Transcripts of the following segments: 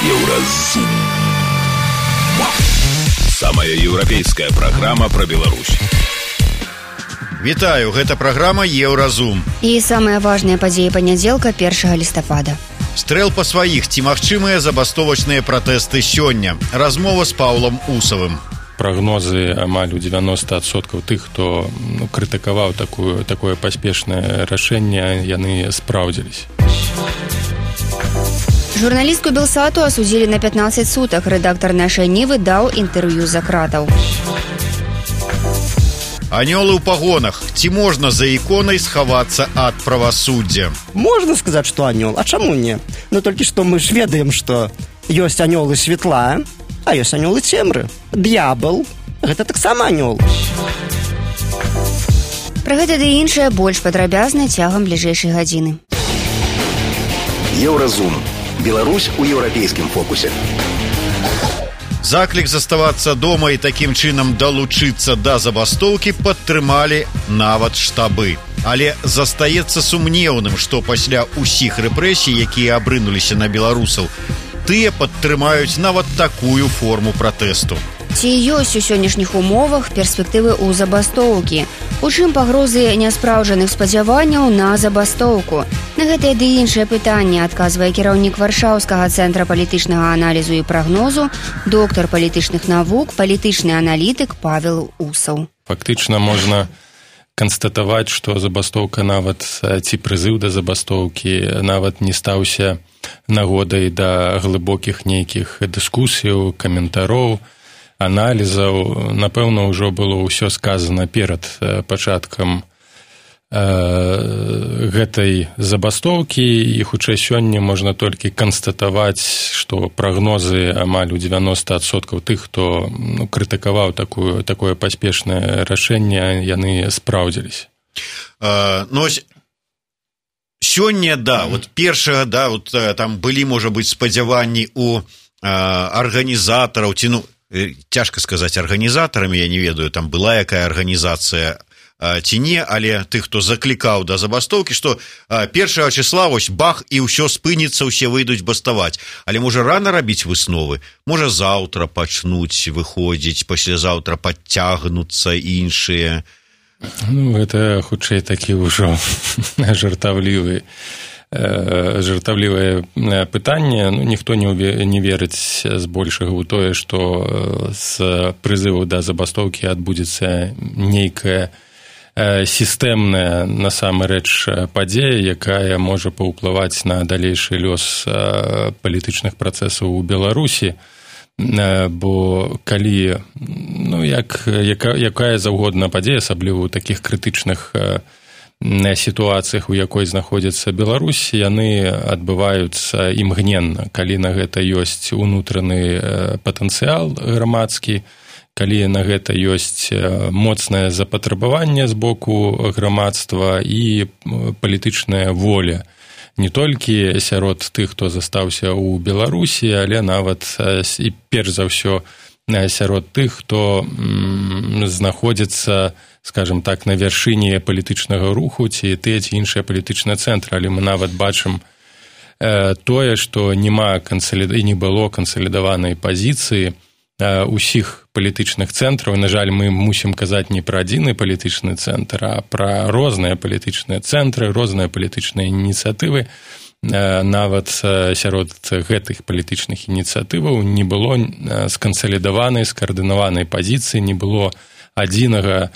Еўразум. Самая еўрапейская праграма пра Беларусь. Вітаю, гэта праграма Еўразум. І самыя важныя падзеі панядзелка 1 лістапада. Стрэл па сваіх, ці магчымыя забастовачныя пратэсты сёння. Размова з Паўлам Усавым. Прагнозы амаль у 90% тых, хто крытыкаваў такое паспешнае рашэнне, яны спраўдзіліся. Журналістку Белсату асудзілі на 15 сутак. Рэдактар нашай Нівы даў інтэрв'ю за кратаў. Анёлы ў пагонах. Ці можна за іконай схавацца ад правасуддзя? Можна сказаць, што анёл, а чаму не? Ну толькі што мы ж ведаем, што ёсць анёлы святла, а ёсць анёлы цемры. Д'ябал – гэта таксама анёл. Пра гэта ды іншае больш падрабязна цягам бліжэйшай гадзіны. Еўразум. Беларусь у еўрапейскім фокусе. Заклік заставацца дома і такім чынам далучыцца да забастоўкі падтрымалі нават штабы. Але застаецца сумнеўным, што пасля ўсіх рэпрэсій, якія абрынуліся на беларусаў, тыя падтрымаюць нават такую форму пратэсту. Ці ёсць у сённяшніх умовах перспектывы ў забастоўкі? У чым пагрозы няспраўджаных спадзяванняў на забастоўку? На гэтае ды іншае пытанне адказвае кіраўнік Варшаўскага цэнтра палітычнага аналізу і прагнозу, доктар палітычных навук, палітычны аналітык Павел Усаў. Фактычна можна канстатаваць, што забастоўка нават, ці прызыў да забастоўкі нават не стаўся нагодай да глыбокіх нейкіх дыскусіяў, каментароў, аналізаў. Напэўна, ўжо было ўсё сказана перад пачаткам гэтай забастоўкі, і хутчэй сёння можна толькі канстатаваць, што прагнозы амаль у 90% тых, хто крытыкаваў такое паспешнае рашэнне, яны спраўдзіліся. Сёння, першага, там былі, можа быць, спадзяванні у арганізатараў, ці, цяжка сказаць арганізатарамі, я не ведаю, там была якая арганізацыя ці не, але тых, хто заклікаў да забастоўкі, што 1 числа вось бах, і ўсё спыніцца, усе выйдуць баставаць. Але можа рана рабіць высновы? Можа заўтра пачнуць выходзіць, паслязаўтра падцягнуцца іншыя? Гэта хутчэй такі ўжо жартаўлівае пытанне. Ніхто не верыць збольшага ў тое, што з прызыву да забастоўкі адбудзецца нейкая сістэмная насамрэч падзея, якая можа паўплываць на далейшы лёс палітычных працэсаў у Беларусі. Бо калі якая заўгодна падзея, асабліва ў такіх крытычных сітуацыях, у якой знаходзіцца Беларусь, яны адбываюцца імгненна, калі на гэта ёсць унутраны патэнцыял грамадскі, калі на гэта ёсць моцнае запатрабаванне з боку грамадства і палітычная воля. Не толькі сярод тых, хто застаўся ў Беларусі, але нават і перш за ўсё сярод тых, хто знаходзіцца, скажем так, на вяршыні палітычнага руху, ці тыя ці іншыя палітычныя цэнтры. Але мы нават бачым тое, што не было кансалідаванай пазіцыі усіх палітычных цэнтраў. На жаль, мы мусім казаць не пра адзіны палітычны цэнтр, а пра розныя палітычныя цэнтры, розныя палітычныя ініцыятывы. Нават сярод гэтых палітычных ініцыятываў не было скансалідаванай, скаардынаванай пазіцыі, не было адзінага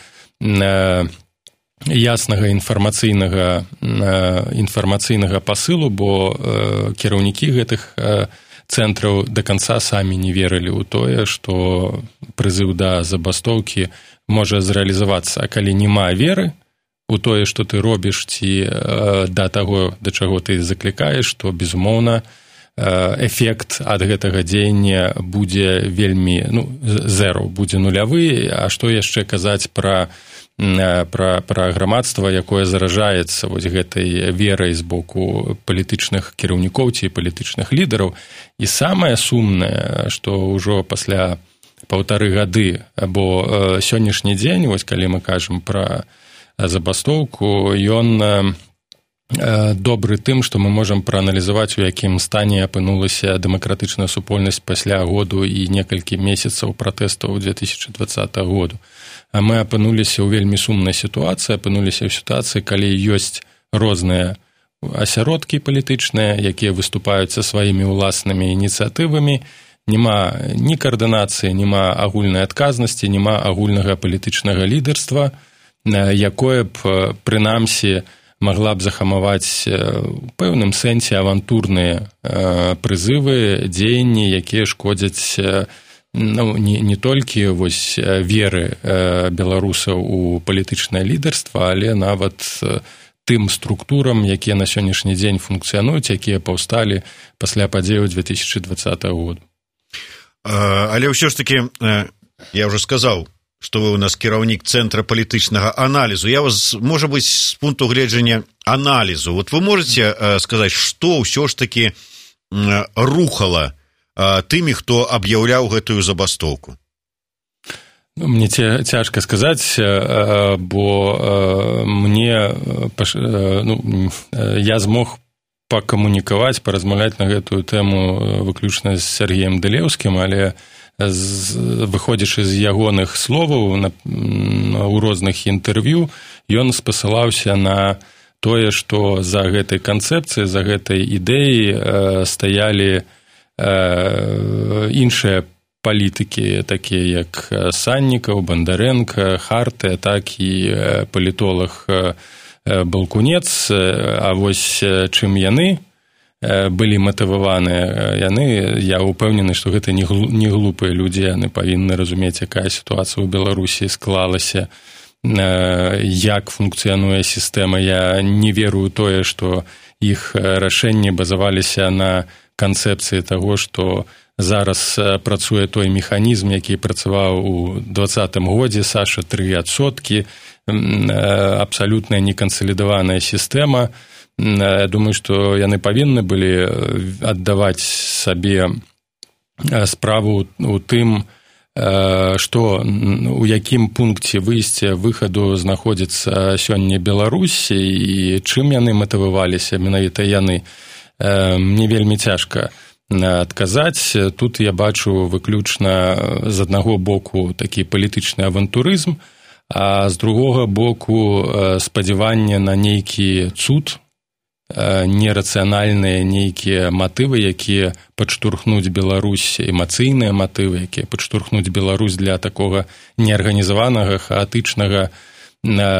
яснага інфармацыйнага пасылу, бо кіраўнікі гэтых цэнтраў да канца самі не верылі ў тое, што прызыў да забастоўкі можа зрэалізавацца. А калі няма веры у тое, што ты робіш, ці да таго, да чаго ты заклікаеш, то, безумоўна, эфект ад гэтага дзеяння будзе вельмі, зеро, будзе нулявы. А што яшчэ казаць пра грамадства, якое заражаецца вось гэтай верай з боку палітычных кіраўнікоў ці палітычных лідараў. І самае сумнае, што ўжо пасля 1,5 гады, бо сённяшні дзень, вось калі мы кажам пра забастоўку, ён добры тым, што мы можам прааналізаваць, у якім стане апынулася дэмакратычная супольнасць пасля году і некалькі месяцаў пратэстаў 2020 году. А мы апынуліся ў вельмі сумнай сітуацыі, апынуліся ў сітуацыі, калі ёсць розныя асяродкі палітычныя, якія выступаюць са сваімі ўласнымі ініцыятывамі, няма ні каардынацыі, няма агульнай адказнасці, няма агульнага палітычнага лідарства, якое б, прынамсі, магла б захамаваць у пэўным сэнсе авантурныя прызывы, дзеянні, якія шкодзяць не толькі вось веры беларусаў у палітычнае лідарства, але нават тым структурам, якія на сённяшні дзень функцыянуюць, якія паўсталі пасля падзеяў 2020 году. Але ўсё ж таки, я ўжо сказаў, што вы у нас кіраўнік Цэнтра палітычнага аналізу. Я вас, можа быць, з пункту гледжання аналізу. Вот вы можете сказаць, што ўсё ж таки рухала тымі, хто аб'яўляў гэтую забастоўку? Мне цяжка сказаць, бо мне я змог пакамунікаваць, паразмаўляць на гэтую тэму выключна з Сергеем Дылеўскім, але выходзячы з ягоных словаў у розных інтэрв'ю, ён спасылаўся на тое, што за гэтай канцэпцыяй, за гэтай ідэяй стаялі іншыя палітыкі, такія як Саннікаў, Бандарэнка, Хартыя, так і палітолог Балкунец. А вось чым яны былі матываваныя, я ўпэўнены, што гэта не глупыя людзі, яны павінны разумець, якая сітуацыя ў Беларусі склалася, як функцыянуе сістэма. Я не верую тое, што іх рашэнні базаваліся на канцэпцыі таго, што зараз працуе той механізм, які працаваў у 2020 годзе, Саша 3%, абсалютна некансалідаваная сістэма. Я думаю, што яны павінны былі аддаваць сабе справу у тым, што у якім пункце выхаду знаходзіцца сёння Беларусь і чым яны матываваліся, менавіта яны. Мне вельмі цяжка адказаць. Тут я бачу выключна з аднаго боку такі палітычны авантурызм, а з другога боку спадзяванне на нейкі цуд, нерацыянальныя нейкія матывы, якія падштурхнуць Беларусь, эмацыйныя матывы, якія падштурхнуць Беларусь для такога неарганізаванага, хаатычнага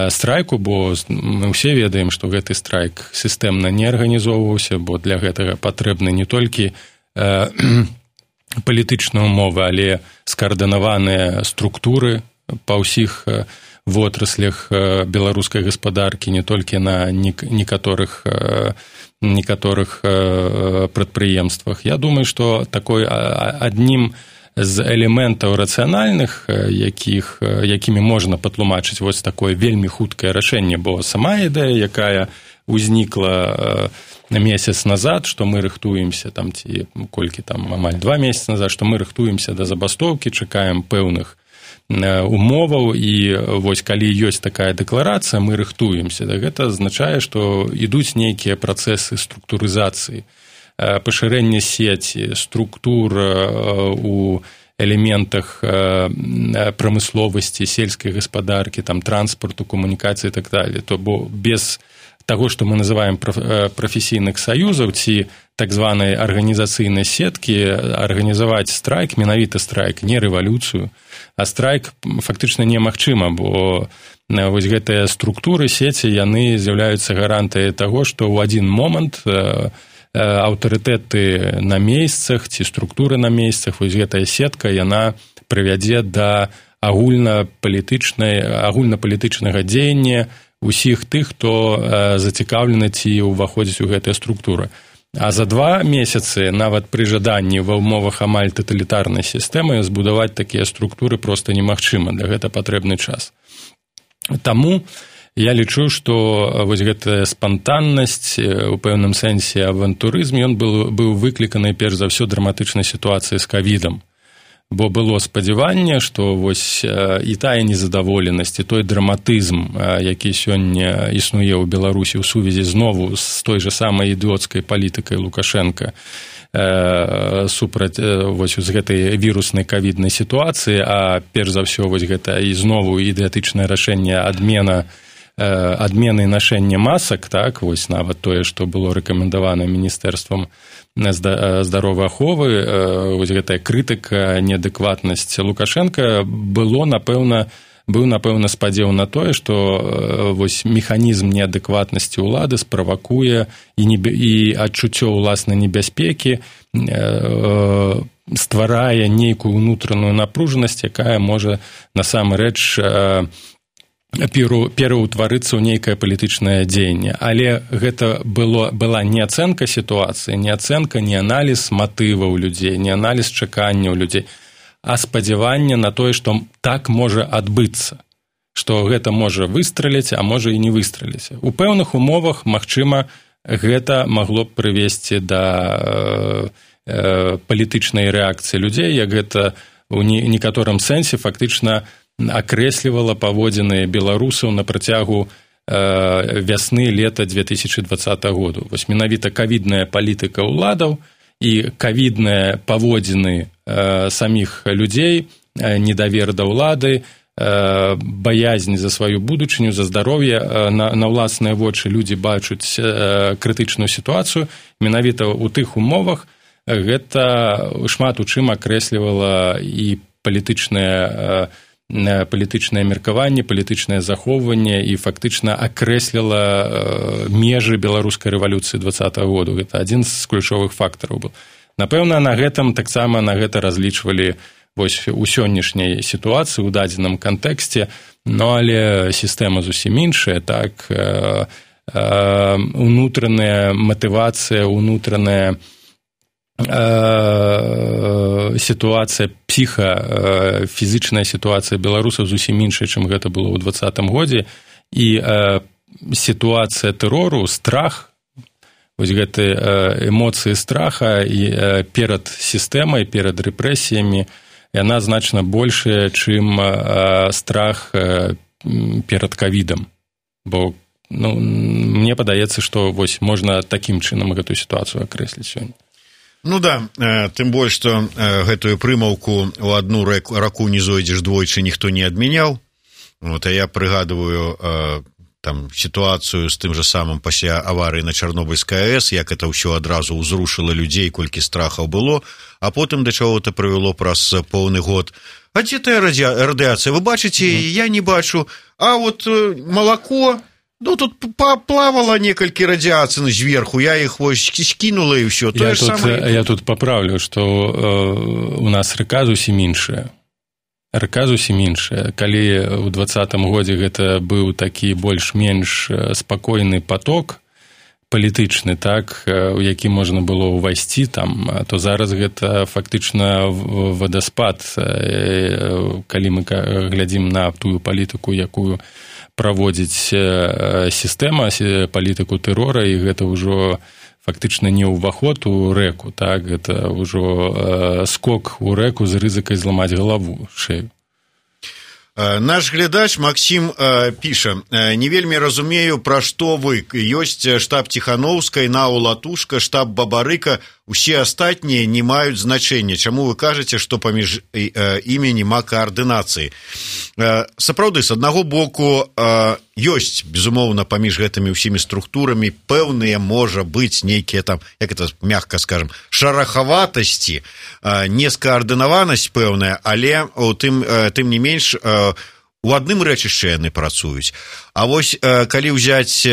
страйку, бо мы ўсе ведаем, што гэты страйк сістэмна не арганізоўваўся, бо для гэтага патрэбны не толькі палітычныя умовы, але скаардынаваныя структуры па ўсіх вотраслях беларускай гаспадаркі, не толькі на некаторых прадпрыемствах. Я думаю, што такой аднім з элементаў рацыянальных, якімі можна патлумачыць вось такое вельмі хуткае рашэнне, бо сама ідэя, якая ўзнікла месяц назад, што мы рыхтуемся, ці колькі амаль 2 месяцы назад, што мы рыхтуемся да забастоўкі, чакаем пэўных умоваў, і вось калі ёсць такая дэкларацыя, мы рыхтуемся. Гэта азначае, што ідуць нейкія працэсы структурызацыі, пашырэння сеці, структур у элементах прамысловасці, сельскай гаспадаркі, транспарту, камунікацыі і так далее. То бо без таго, што мы называем прафесійных саюзаў ці так званай арганізацыйнай сеткі, арганізаваць страйк, менавіта страйк, не рэвалюцыю, а страйк фактычна немагчыма, бо вось гэтыя структуры сеці, яны з'яўляюцца гарантыяй таго, што ў адзін момант аўтарытэты на месцах ці структуры на месцах, вось гэтая сетка, яна прывядзе да агульнапалітычнага дзеяння усіх тых, хто зацікаўлены ці ўваходзіць у гэтыя структуры. А за 2 месяцы, нават пры жаданні ва ўмовах амаль таталітарнай сістэмы, збудаваць такія структуры проста немагчыма, для гэта патрэбны час. Таму я лічу, што вось гэтая спантаннасць, у пэўным сэнсе авантурызм, ён быў выкліканы перш за ўсё драматычнай сітуацыяй з ковідам. бо было спадзяванне, што вось і тая незадаволенасць, і той драматызм, які сёння існуе ў Беларусі ў сувязі знову з той жа самай ідыёцкай палітыкай Лукашенка супраць вось з гэтай віруснай ковіднай сітуацыі, а перш за ўсё вось гэта і знову ідыятычнае рашэнне адмены нашэння масак, так, вось нават тое, што было рэкамендавана міністэрствам здаровай аховы, вось гэтая крытыка, неадэкватнасць Лукашенка быў, напэўна, спадзеў на тое, што вось механізм неадэкватнасці ўлады справакуе і адчуццё ўласнай небяспекі, стварае нейкую ўнутраную напружанасць, якая можа насамрэч пераўтварыцца ў нейкае палітычнае дзеянне. Але гэта была не ацэнка сітуацыі, не ацэнка, не аналіз матываў людзей, не аналіз чаканняў людзей, а спадзяванне на тое, што так можа адбыцца, што гэта можа выстраліць, а можа і не выстраліць. У пэўных умовах, магчыма, гэта магло б прывесці да палітычнай рэакцыі людзей, як гэта ў некаторым сэнсе фактычна акрэслівала паводзіны беларусаў на працягу вясны-лета 2020 году. Вось менавіта ковідная палітыка ўладаў і ковідныя паводзіны саміх людзей, недавер да ўлады, баязнь за сваю будучыню, за здароўе, на ўласныя вочы людзі бачаць крытычную сітуацыю. Менавіта ў тых умовах гэта шмат у чым акрэслівала і палітычнае меркаванне, палітычнае захоўванне і фактычна акрэсліла межы беларускай рэвалюцыі 20-го году. Гэта адзін з ключовых фактараў быў. Напэўна, на гэтым таксама на гэта разлічвалі вось у сённяшняй сітуацыі, у дадзеным кантэксце, но але сістэма зусім іншая, так, унутраная матывацыя, унутраная сітуацыя, фізічная сітуацыя беларусаў зусім іншая, чым гэта было ў 20-м годзе, і сітуацыя тэрору, страх, вось гэты эмоцыі страха і перад сістэмай, перад рэпрэсіямі, яна значна большая, чым страх перад ковідам. Бо мне падаецца, што вось можна такім чынам гэтую сітуацыю акрэсліць сёння. Ну да, тым больш, што гэтую прымаўку у одну раку не зойдзеш двойчы ніхто не адмяняў. Вот, а я прыгадываю там сітуацыю з тым жа самым пасля аварыі на Чарнобыльскай АЭС, як это ўсё адразу ўзрушыла людзей, колькі страхаў было, а потым да чаго-то прывяло праз поўны год. А дзе тая радыацыя? Вы бачыце, я не бачу. А вот малако... Ну, тут плавала некалькі радыацый зверху, я іх вось скінула і ўсё. Я тут паправлю, што у нас рэка зусім іншая. Рэка зусім іншая. Калі ў 20-м годзе гэта быў такі больш-менш спакойны поток палітычны, так, у які можна было ўвайсці там, то зараз гэта фактычна вадаспад, калі мы глядзім на тую палітыку, якую праводзіць сістэма, палітыку тэрора, і гэта ўжо фактычна не ўваход у рэку, так, гэта ўжо скок у рэку з рызыкай зламаць галаву, шею. Наш глядач Максім піша: не вельмі разумею, пра што вы. Ёсць штаб Ціхановскай, НАУ Латушка, штаб Бабарыка, усе астатнія не маюць значэння. Чаму вы кажаце, што паміж імі няма каардынацыі? Сапраўды, з аднаго боку, ёсць, безумоўна, паміж гэтымі ўсімі структурамі пэўныя, можа быць, нейкія там, як это мякка скажам, шарахаватасці, нескаардынаванасць пэўная, але тым не менш у адным рэчышчы яны працуюць. А вось калі ўзяць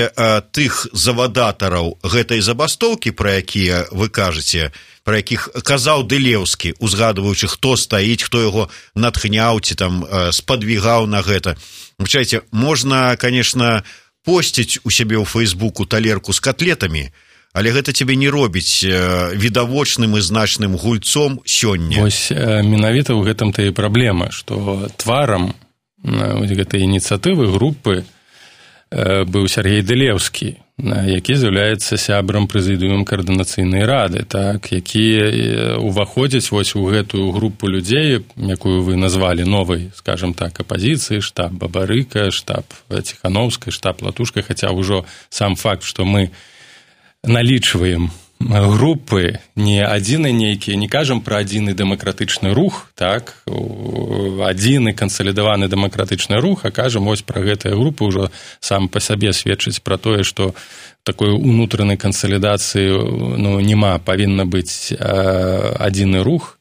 тых завадатараў гэтай забастоўкі, пра якія вы кажаце, пра якіх казаў Дылеўскі, узгадваючы, хто стаіць, хто яго натхняў ці там спадвігаў на гэта. Вычайце, можна, конечно, посціць у сябе ў Фейсбуку талерку з котлетамі, але гэта цябе не робіць відавочным і значным гульцом сёння. Вось менавіта ў гэтым-то і праблема, што тварам гэтай ініцыятывы, групы быў Сергей Дылеўскі. які з'яўляецца сябрам прэзідыума каардынацыйнай рады, так, які уваходзяць вось у гэтую групу людзей, якую вы назвалі новай, скажем так, апазіцыі, штаб Бабарыка, штаб Ціхановскай, штаб Латушка, хаця ўжо сам факт, што мы налічваем групы, не адзіны нейкі, не кажам пра адзіны дэмакратычны рух, так, адзіны кансалідаваны дэмакратычны рух, а кажам вось пра гэтыя групы ўжо сам па сабе сведчыць пра тое, што такой унутранай кансалідацыі няма, павінна быць адзіны рух,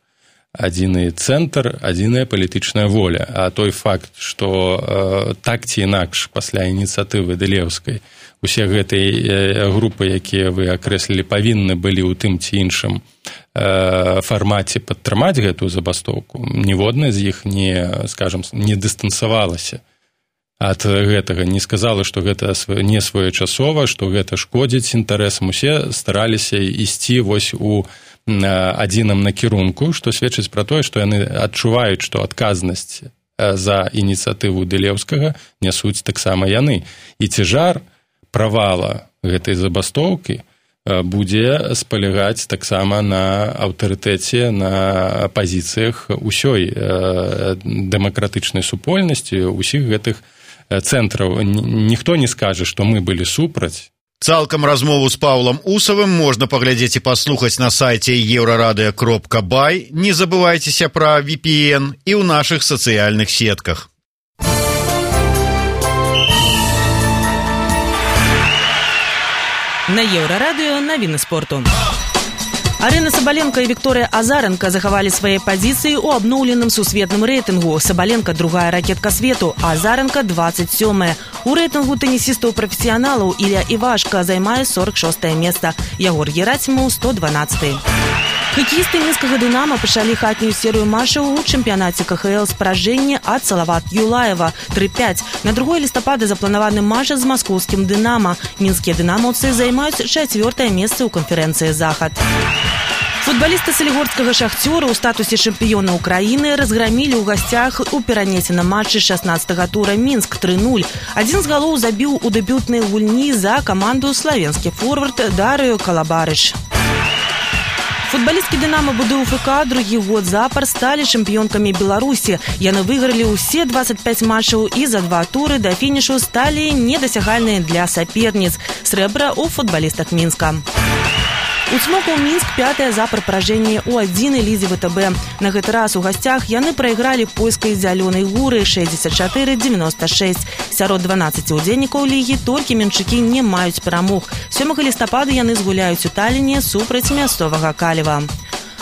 адзіны цэнтр, адзіная палітычная воля. А той факт, што так ці інакш пасля ініцыятывы Дылеўскай усе гэтыя групы, якія вы акрэслілі, павінны былі ў тым ці іншым фармаце падтрымаць гэтую забастоўку. Ніводная з іх не дыстанцавалася ад гэтага, не сказала, што гэта не своечасова, што гэта шкодзіць інтарэсам. Усе стараліся ісці вось у адзіным накірунку, што сведчыць пра тое, што яны адчуваюць, што адказнасць за ініцыятыву Дылеўскага нясуць таксама яны. І цяжар правала гэтай забастоўкі будзе спалягаць таксама на аўтарытэце, на пазіцыях усёй дэмакратычнай супольнасці, усіх гэтых цэнтраў. Ніхто не скажа, што мы былі супраць. Цалкам размову з Паўлам Усавым можна паглядзець і паслухаць на сайце euradio.by. Не забывайцеся пра VPN і ў нашых сацыяльных сетках. На Еўрарадыё навіны спорту. Арына Сабаленка і Вікторыя Азаранка захавалі свае пазіцыі ў абноўленым сусветным рэйтынгу. Сабаленка другая ракетка свету, а Азаранка 27-е. У рэйтынгу тэнісістаў-прафесіяналаў Ілля Івашка займае 46-е месца. Ягор Герасімаў 112-е. Хакеісты мінскага «Дынама» пачалі хатнюю серыю матчаў у чэмпіянаце КХЛ з паражэння ад Салават Юлаева 3-5. На 2 лістапада запланаваны матч з маскоўскім «Дынама». Мінскія «Дынамаўцы» займаюць 4-е месца ў канферэнцыі «Захад». Футбалісты салігорскага «Шахцёра» ў статусе чэмпіёна ўкраіны разграмілі ў гасцях у перанесеным матчы 16-го тура Мінск 3-0. Адзін з галоў забіў у дэбютнай гульні за каманду славенскі форвард Дарыё Калабарыч. Футбалісткі «Дынама» БДУФК другі год запар сталі чэмпіёнкамі Беларусі. Яны выйгралі ўсе 25 матчаў і за 2 туры да фінішу сталі недасягальныя для саперніц. Срэбра ў футбалістах Мінска. У «Цмоку» Мінск 5-е запар паражэнне ў 1-й лізе ВТБ. На гэты раз у гасцях яны прайгралі польскай «Зялёнай гуры» 64-96. Сярод 12 удзельнікаў лігі толькі мінчукі не маюць перамог. 7 лістапада яны згуляюць у Таліне супраць мясцовага Калева.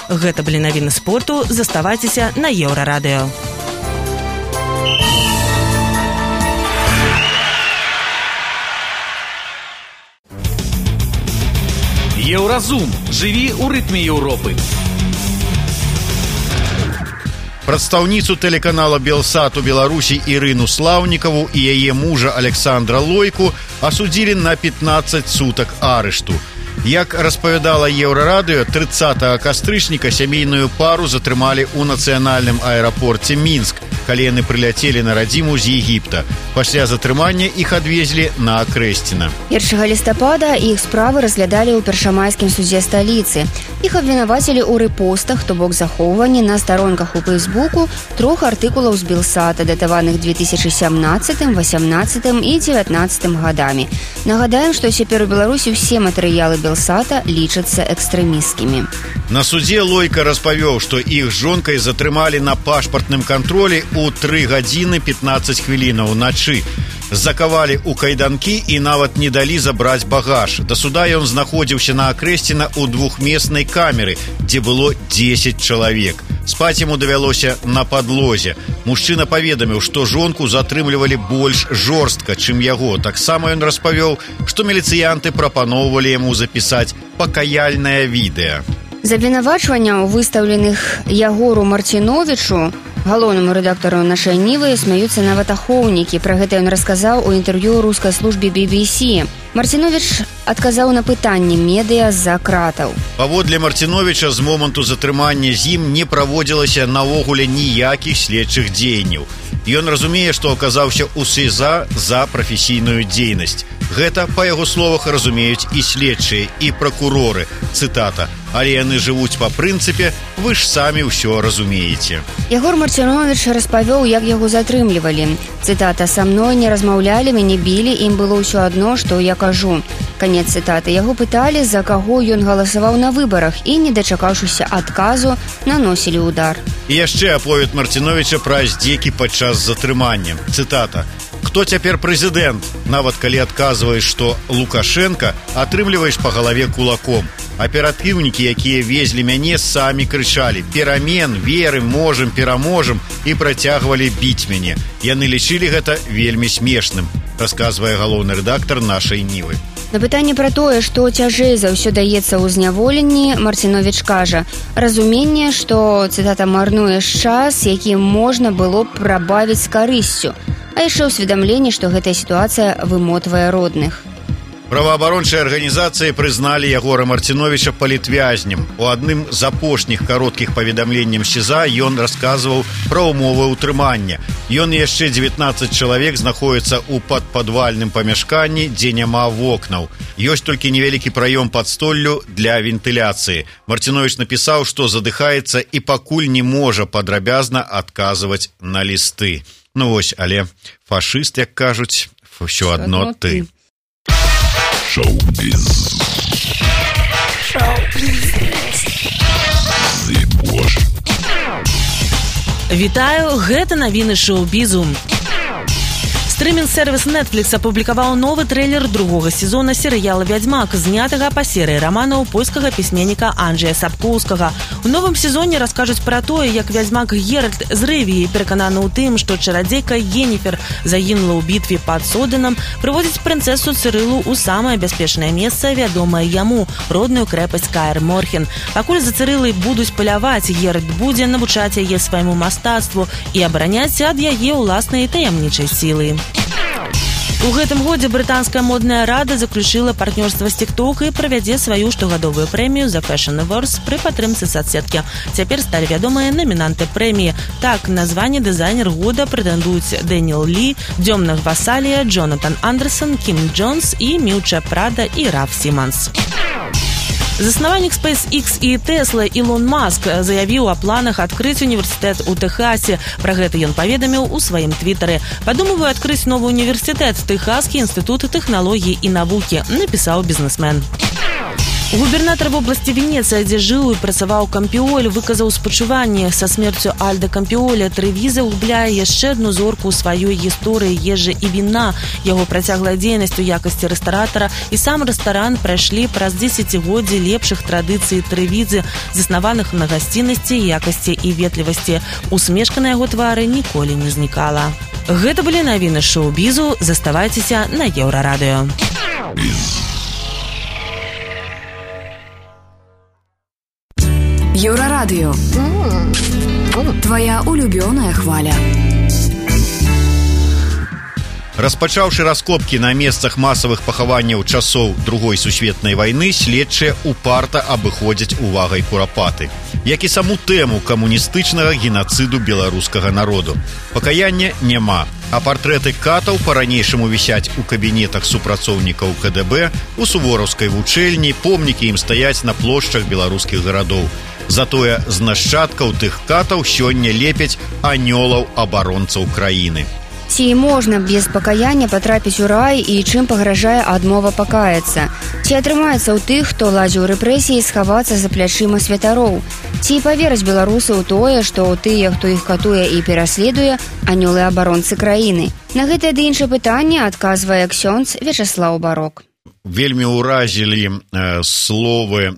Гэта былі навіны спорту. Заставайцеся на Еўрарадыё. Еўразум. Жыві ў рытме Еўропы. Прадстаўніцу тэлеканала «Белсат» у Беларусі Ірыну Слаўнікаву і яе мужа Александра Лойку асудзілі на 15 сутак арышту. Як распавядала Еўрарадыё, 30 кастрычніка сямейную пару затрымалі ў нацыянальным аэрапорце Мінск, калі яны прыляцелі на радзіму з Егіпта. Пасля затрымання іх адвезлі на Акрэсціна. 1 лістапада іх справы разглядалі ў першамайскім судзе сталіцы. Іх абвінавацілі ў рэпостах, то бок захоўванні на старонках у Фэйсбуку 3 артыкулаў з Белсата, датаваных 2017, 18 і 19 гадамі. Нагадаем, што цяпер у Беларусі ўсе матэрыялы Белсата лічацца экстрэмісцкімі. На судзе Лойка распавёў, што іх з жонкай затрымалі на пашпартным кантролі у 3 гадзіны 15 хвілінаў начы. Закавалі ў кайданкі і нават не далі забраць багаж. Да суда ён знаходзіўся на Акрэсціна ў двухмеснай камеры, дзе было 10 чалавек. Спаць яму давялося на падлозе. Мужчына паведаміў, што жонку затрымлівалі больш жорстка, чым яго. Таксама ён распавёў, што міліцыянты прапаноўвалі яму запісаць пакаяльнае відэа. З абвінавачванняў, выстаўленых Ягору Марціновічу, галоўнаму рэдактару нашай Нівы, смяюцца нават ахоўнікі. Пра гэта ён расказаў у інтэрв'ю рускай службе BBC. Марціновіч адказаў на пытанні медыа з-за кратаў. Паводле Марціновіча, з моманту затрымання з ім не праводзілася наогуле ніякіх следчых дзеянняў. Ён разумее, што аказаўся ў СІЗА за прафесійную дзейнасць. Гэта, па яго словах, разумеюць і следчыя, і пракуроры. Цытата: «Але яны жывуць па прынцыпе, вы ж самі ўсё разумееце». Ягор Марціновіч распавёў, як яго затрымлівалі. Цытата: «Са мной не размаўлялі, мяне білі, ім было ўсё адно, што я кажу». Канец цытаты. Яго пыталі, за каго ён галасаваў на выбарах, і, не дачакаўшыся адказу, наносілі удар. І яшчэ аповед Марціновіча пра здзекі падчас затрымання. Цытата: «Хто цяпер прэзідэнт? Нават калі адказваеш, што Лукашенко, атрымліваеш па галаве кулаком. Аператыўнікі, якія везлі мяне, самі крычалі: перамен, верым, можам, пераможам, і працягвалі біць мяне. Яны лічылі гэта вельмі смешным», расказвае галоўны рэдактар нашай Нівы. На пытанне пра тое, што цяжэй за ўсё даецца ў зняволенні, Марціновіч кажа: «Разуменне, што, цытата, марнуеш час, які можна было б прабавіць з карысцю, а яшчэ ўсведамленне, што гэтая сітуацыя вымотвае родных». Праваабарончыя арганізацыі прызналі Ягора Марціновіча палітвязнем. У адным з апошніх кароткіх паведамленняў СІЗА ён расказваў пра ўмовы ўтрымання. Ён і яшчэ 19 чалавек знаходзяцца ў падпадвальным памяшканні, дзе няма вокнаў. Ёсць толькі невялікі праём пад столлю для вентыляцыі. Марціновіч напісаў, што задыхаецца і пакуль не можа падрабязна адказваць на лісты. Ну вось, але фашыст, як кажуць, ўсё адно ты. Шоу-біз. Вітаю, гэта навіны шоу-бізу. Стрымінг-сервіс Netflix апублікаваў новы трэйлер другога сезона серыяла «Вядзьмак», знятага па серыі раманаў польскага пісьменніка Анджэя Сапкоўскага. У новым сезоне раскажуць пра тое, як вядзьмак Геральт з Рывіі, перакананы ў тым, што чарадзейка Йенніфер загінула ў бітве пад Соденам, прыводзіць прынцэсу Цырылу ў самае бяспечнае месца, вядомае яму, родную крэпасць Каэр Морхен. Пакуль за Цырылай будуць паляваць, Геральт будзе навучаць яе свайму мастацтву і абараняць ад яе ўласнай таямнічай сілы. У гэтым годзе брытанская модная рада заключыла партнёрства з TikTok і правядзе сваю штогадовую прэмію The Fashion Awards пры падтрымцы соцсеткі. Цяпер сталі вядомыя намінанты прэміі. Так, на званне дызайнер года прэтэндуюць Дэніел Лі, Дзёмна Гвасалія, Джонатан Андерсон, Кім Джонс і Міўча Прада і Раф Сіманс. Заснавальнік SpaceX і Tesla Ілон Маск заявіў о планах адкрыць універсітэт у Тэхасе. Пра гэта ён паведаміў у сваім твітары. «Падумываю адкрыць новы універсітэт, Тэхаскі інстытут тэхналогій і навукі», напісаў бізнесмен. Губернатар вобласці Венецыя, дзе жыў і працаваў Кампіоль, выказаў спачуванне. Са смерцю Альда Кампіоля Трэвіза губляе яшчэ адну зорку ў сваёй гісторыі ежы і віна. Яго працяглая дзейнасць у якасці рэстаратара і сам рэстаран прайшлі праз дзесяцігоддзі лепшых традыцый Трэвізы, заснаваных на гасціннасці, якасці і ветлівасці. Усмешка на яго твары ніколі не знікала. Гэта былі навіны шоу-бізу. Заставайцеся на Еўрарадыё. Еўрарадыё. Твоя улюбёная хваля. Распачаўшы раскопкі на месцах масавых пахаванняў часоў Другой сусветнай вайны, следчыя упарта абыходзяць увагай курапаты, як і саму тэму камуністычнага генацыду беларускага народу. Пакаяння няма, а партрэты катаў па-ранейшаму вісяць у кабінетах супрацоўнікаў КДБ, у сувораўскай вучэльні, помнікі ім стаяць на плошчах беларускіх гарадоў. Затое з нашчадкаў тых катаў сёння лепяць анёлаў абаронцаў краіны. Ці можна без пакаяння патрапіць у рай і чым пагражае адмова пакаяцца? Ці атрымаецца ў тых, хто ладзіў рэпрэсіі, схавацца за плячыма святароў? Ці павераць беларусы ў тое, што тыя, хто іх катуе і пераследуе, анёлы абаронцы краіны? На гэтае ды іншае пытанне адказвае ксёндз Вячаслаў Барок. Вельмі ўразілі словы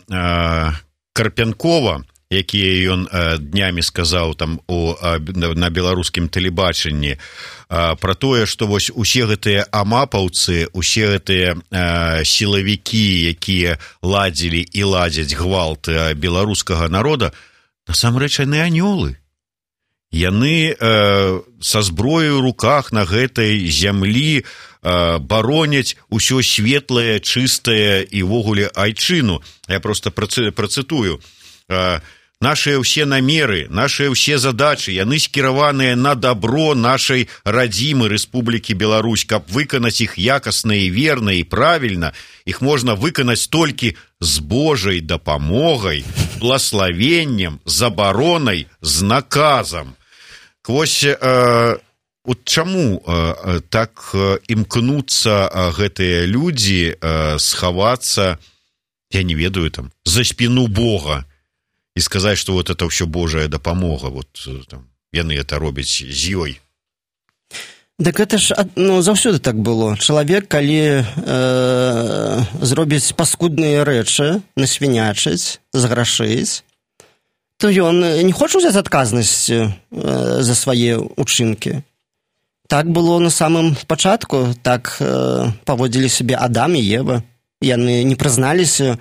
Карпянкова, якія ён днямі сказаў там на беларускім тэлебачанні, пра тое, што вось усе гэтыя амапаўцы, усе гэтыя сілавікі, якія ладзілі і ладзяць гвалт беларускага народа, насамрэч яны анёлы. Яны са зброяй у руках на гэтай зямлі бароняць усё светлае, чыстае і ввогуле айчыну. Я проста працытую. нашыя ўсе намеры, нашыя ўсе задачы, яны скіраваныя на дабро нашай радзімы Рэспублікі Беларусь. Каб выканаць іх якасна і верна і правільна, іх можна выканаць толькі з Божай дапамогай, благаславеннем, забаронай, з наказам. Вось от чаму так імкнуцца гэтыя людзі схавацца, я не ведаю, там, за спіну Бога, і сказаць, што вот это ўсё Божая дапамога, вот там, яны это робяць з ёй. Так это ж заўсёды так было. Чалавек, калі зробіць паскудныя рэчы, насвінячыць, зграшыць, то ён не хоча ўзяць адказнасці за свае ўчынкі. Так было на самым пачатку, так паводзілі сябе Адам і Ева. Яны не прызналіся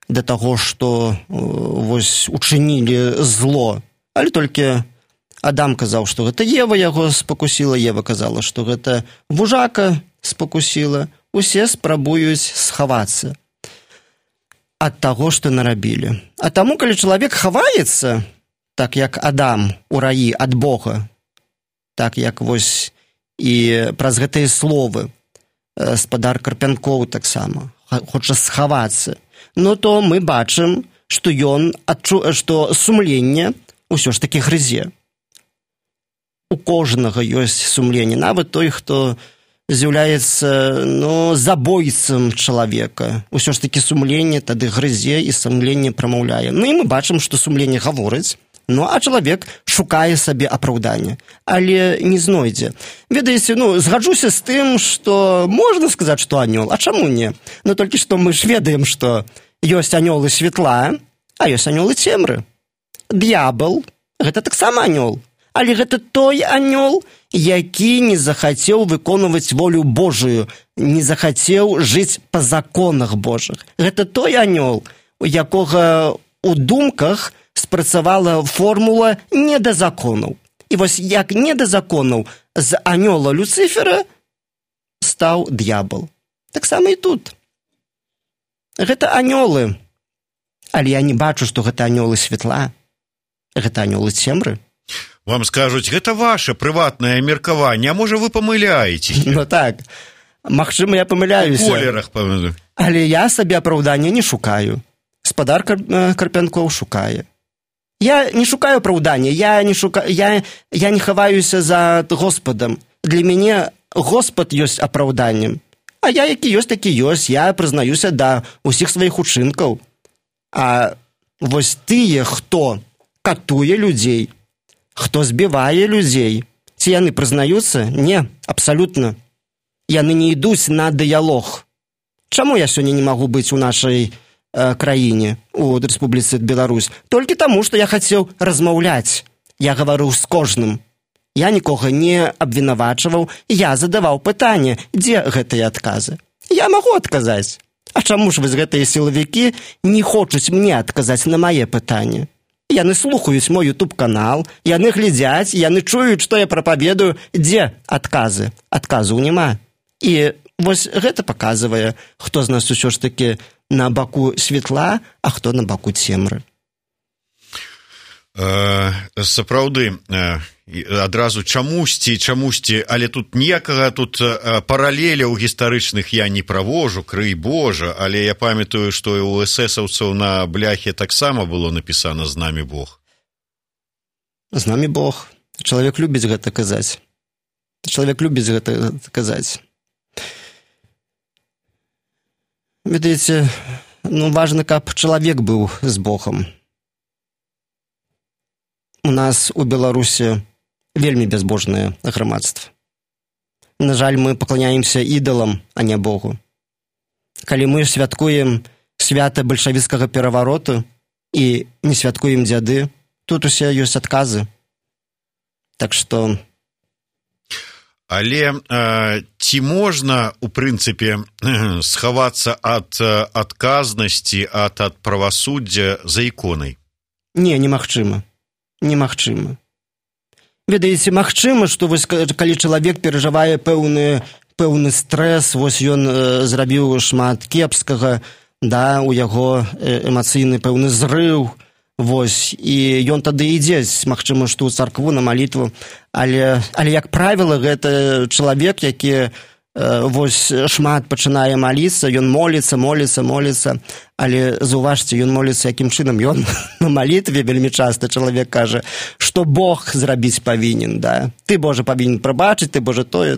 да таго, што вось учынілі зло, але толькі Адам казаў, што гэта Ева яго спакусіла, Ева казала, што гэта вужака спакусіла. Усе спрабуюць схавацца ад таго, што нарабілі. А таму, калі чалавек хаваецца, так як Адам у раі ад Бога, так як вось і праз гэтыя словы спадар Карпянкоў таксама хоча схавацца, но то мы бачым, што ён што сумленне ўсё ж такі грызе. У кожнага ёсць сумленне, нават той, хто з'яўляецца забойцам чалавека. Усё ж такі сумленне тады грызе і сумленне прамаўляе. І мы бачым, што сумленне гаворыць, а чалавек шукае сабе апраўдання, але не знойдзе. Ведаеце, згаджуся з тым, што можна сказаць, што анёл, а чаму не? Толькі што мы ж ведаем, што ёсць анёлы святла, а ёсць анёлы цемры. Д'ябал – гэта таксама анёл, але гэта той анёл, які не захацеў выконваць волю Божую, не захацеў жыць па законах Божых. Гэта той анёл, у якога у думках спрацавала формула не да законаў. І вось як не да законаў з анёла Люцыфера стаў д'ябал. Таксама і тут. Гэта анёлы, але я не бачу, што гэта анёлы святла, гэта анёлы цемры. Вам скажуць, гэта ваше прыватнае меркаванне, а можа вы памыляеце? Так, магчыма, я памыляюся. У колерах, памыляю. Але я сабе апраўдання не шукаю. Спадар Карпянкоў шукае. Я не шукаю апраўдання, я не хаваюся за Господам. Для мяне Господ ёсць апраўданнем. А я які ёсць, такі ёсць. Я прызнаюся да ўсіх сваіх учынкаў. А вось тыя, хто катуе людзей, хто збівае людзей, ці яны прызнаюцца? Не, абсалютна. Яны не ідуць на дыялог. Чаму я сёння не магу быць у нашай краіне, у Рэспубліцы Беларусь? Толькі таму, што я хацеў размаўляць. Я гаварыў з кожным. Я нікога не абвінавачваў, я задаваў пытанне, дзе гэтыя адказы. Я магу адказаць. А чаму ж вось гэтыя сілавікі не хочуць мне адказаць на мае пытанні? Яны слухаюць мой YouTube-канал, яны глядзяць, яны чуюць, што я прапаведую, дзе адказы. Адказаў няма. І вось гэта паказвае, хто з нас усё ж такі на баку светла, а хто на баку цемры. Сапраўды, адразу чамусьці, але тут ніякага тут паралеляў гістарычных я не правожу, крый Божа, але я памятаю, што і у эсэсаўцаў на бляхе таксама было напісана «З намі Бог». З намі Бог. Чалавек любіць гэта казаць. Ведаеце, важна, каб чалавек быў з Богам. У нас у Беларусі вельмі бязбожнае грамадства. На жаль, мы пакланяемся ідалам, а не Богу. Калі мы святкуем свята бальшавіцкага перавароту і не святкуем дзяды, тут усе ёсць адказы. Так што... Але ці можна, у прынцыпе, схавацца ад адказнасці, ад правасуддзя за іконай? Не, немагчыма. Немагчыма. Ведаеце, магчыма, што вось, калі чалавек перажывае пэўны стрэс, вось ён зрабіў шмат кепскага, у яго эмацыйны пэўны зрыў, Вось, і ён тады ідзе, магчыма, што ў царкву на малітву, але як правіла, гэта чалавек, які вось шмат пачынае маліцца, ён моліцца, але заўважце, ён моліцца якім чынам, ён на малітве вельмі часта чалавек кажа, што Бог зрабіць павінен, да? Ты, Божа, павінен прабачыць, ты, Божа, тое,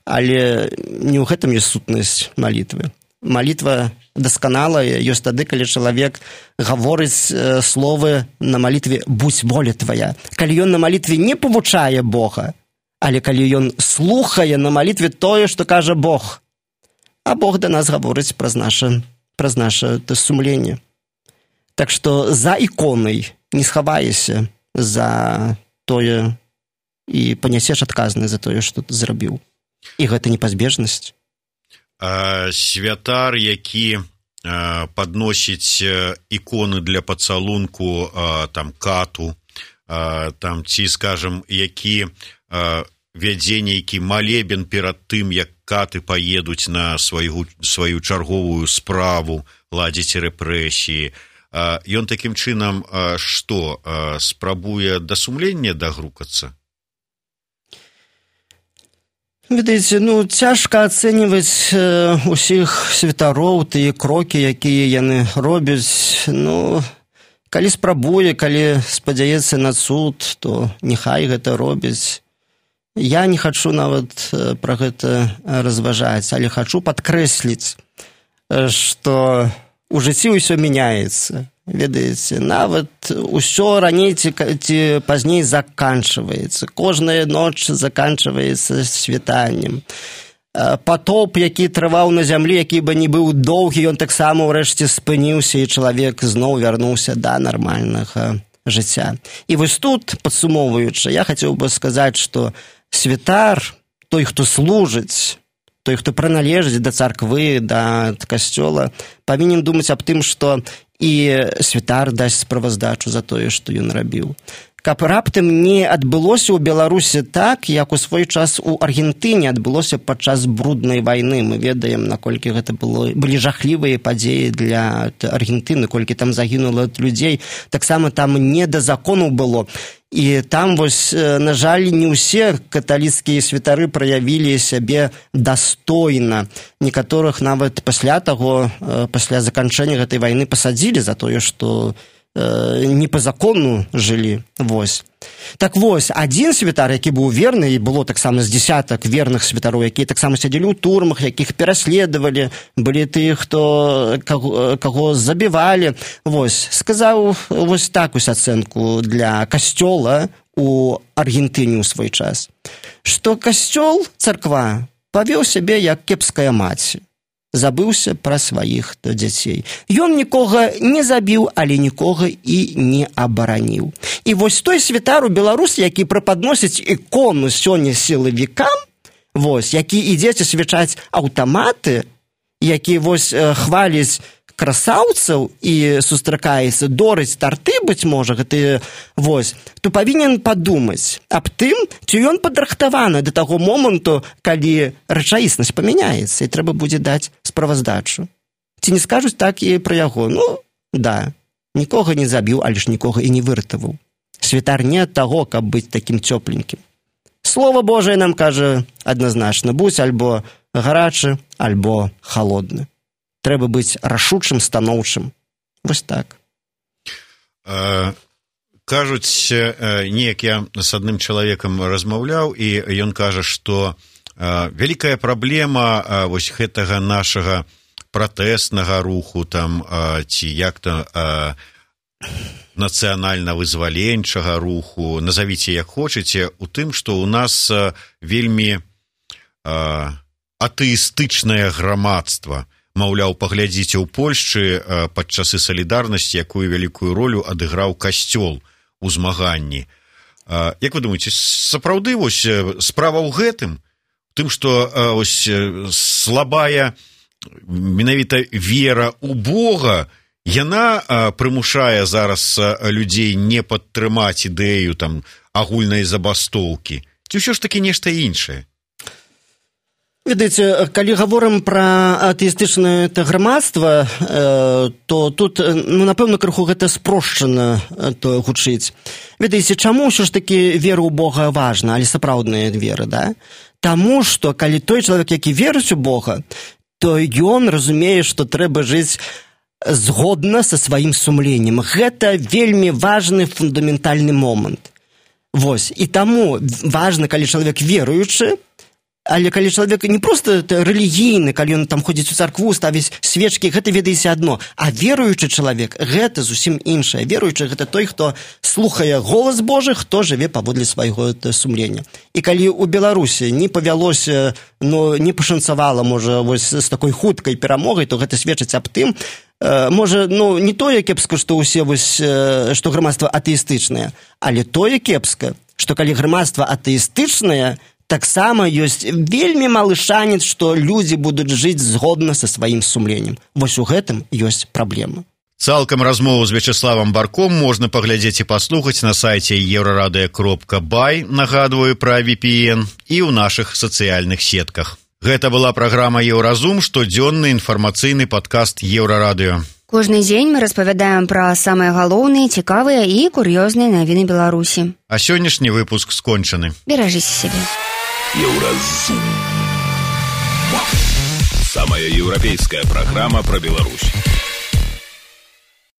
але не ў гэтым ёсць сутнасць малітвы. Малітва дасканалая ёсць тады, калі чалавек гаворыць словы на малітве «будзь воля твая». Калі ён на малітве не павучае Бога, але калі ён слухае на малітве тое, што кажа Бог, а Бог да нас гаворыць праз наша сумленне. Так што за іконай не схаваешся за тое і панясеш адказнасць за тое, што ты зрабіў. І гэта непазбежнасць. Святар, які падносіць іконы для пацалунку там кату, там ці, скажам, які вядзе нейкі малебен перад тым, як каты паедуць на сваю чарговую справу, ладзіць рэпрэсіі. Ён такім чынам што, спрабуе да сумлення дагрукацца? Ведаеце, цяжка ацэньваць усіх святароў, тыя крокі, якія яны робяць. Калі спрабуе, калі спадзяецца на цуд, то няхай гэта робяць. Я не хачу нават пра гэта разважаць, але хачу падкрэсліць, што у жыцці ўсё мяняецца. Ведаеце, нават усё раней ці пазней заканчваецца. Кожная ноч заканчваецца світаннем. Патоп, які трываў на зямлі, які бы не быў доўгі, ён таксама ўрэшце спыніўся, і чалавек зноў вярнуўся да нармальнага жыцця. І вось тут, падсумоўваючы, я хацеў бы сказаць, што святар, той, хто служыць, той, хто прыналежыць да царквы, да касцёла, павінен думаць аб тым, што і святар дасць справаздачу за тое, што ён рабіў. Каб раптам не адбылося ў Беларусі так, як у свой час у Аргентыне адбылося падчас бруднай вайны. Мы ведаем, наколькі гэта былі жахлівыя падзеі для Аргентыны, колькі там загінула людзей. Таксама там не да закону было. І там, вось, на жаль, не ўсе каталіцкія святары праявілі сябе дастойна. Некаторых нават пасля заканчэння гэтай вайны пасадзілі за тое, што не па закону жылі. Вось. Так вось, адзін святар, які быў верны, і было таксама з дзесятак верных святароў, якія таксама сядзелі ў турмах, якіх пераследавалі, былі тыя, каго забівалі. Вось, сказаў вось такую ацэнку для касцёла у Аргентыне ў свой час, што касцёл, царква, павёў сябе як кепская маці. Забыўся пра сваіх дзяцей. Ён нікога не забіў, але нікога і не абараніў. І вось той святар у Беларусі, які прападносіць ікону сёння сілавікам, вось, які ідзе асвячаць аўтаматы, які вось хваліць красаўцаў і сустракаецца, дорыць тарты, быць можа, гэта вось, то павінен падумаць аб тым, ці ён падрыхтаваны да таго моманту, калі рэчаіснасць памяняецца, і трэба будзе даць справаздачу. Ці не скажуць так і пра яго? Да, нікога не забіў, але ж нікога і не выратаваў. Святар не ад таго, каб быць такім цёпленькім. Слова Божае нам кажа адназначна, будзь альбо гарачы, альбо халодны. Трэба быць рашучым, станоўчым. Вось так. Кажуць, неяк я з адным чалавекам размаўляў, і ён кажа, што вялікая праблема вось гэтага нашага пратэснага руху, там, ці як-то нацыянальна-вызваленчага руху, назавіце як хочаце, у тым, што ў нас вельмі атэістычнае грамадства. Маўляў, паглядзіце, ў Польшчы пад часы салідарнасці, якую вялікую ролю адыграў касцёл у змаганні. Як вы думаеце, сапраўды вось справа ў гэтым? У тым, што вось слабая менавіта вера ў Бога, яна прымушае зараз людзей не падтрымаць ідэю там агульнай забастоўкі? Ці ўсё ж такі нешта іншае? Ведаеце, калі гаворым пра атэістычнае грамадства, то тут, напэўна, крыху гэта спрошчана гучыць. Ведаеце, чаму ўсё ж такі вера ў Бога важна, але сапраўдная вера, да? Таму, што калі той чалавек, які верыць у Бога, то ён разумее, што трэба жыць згодна са сваім сумленнем. Гэта вельмі важны фундаментальны момант. Вось, і таму важна, калі чалавек веруючы, але калі чалавек не проста рэлігійны, калі ён там ходзіць у царкву, ставіць свечкі, гэта ведаеце адно. А веруючы чалавек, гэта зусім іншае. Веруючы гэта той, хто слухае голас Божы, хто жыве паводле свайго сумлення. І калі ў Беларусі не павялося, не пашанцавала, можа, вось з такой хуткай перамогай, то гэта сведчыць аб тым, можа, не тое кепска, што ўсе вось, што грамадства атэістычнае, але тое кепска, што калі грамадства атэістычнае, таксама ёсць вельмі малы шанец, што людзі будуць жыць згодна са сваім сумленнем. Вось у гэтым ёсць праблема. Цалкам размову з Вячеславам Барком можна паглядзець і паслухаць на сайце euradio.by, нагадваю пра VPN, і ў нашых сацыяльных сетках. Гэта была праграма «Еўразум», штодзённы інфармацыйны падкаст Еўрарадыё. Кожны дзень мы распавядаем пра самыя галоўныя, цікавыя і кур'ёзныя навіны Беларусі. А сённяшні выпуск скончаны. Беражыце сябе. Еўразум. Самая еўрапейская праграма пра Беларусь.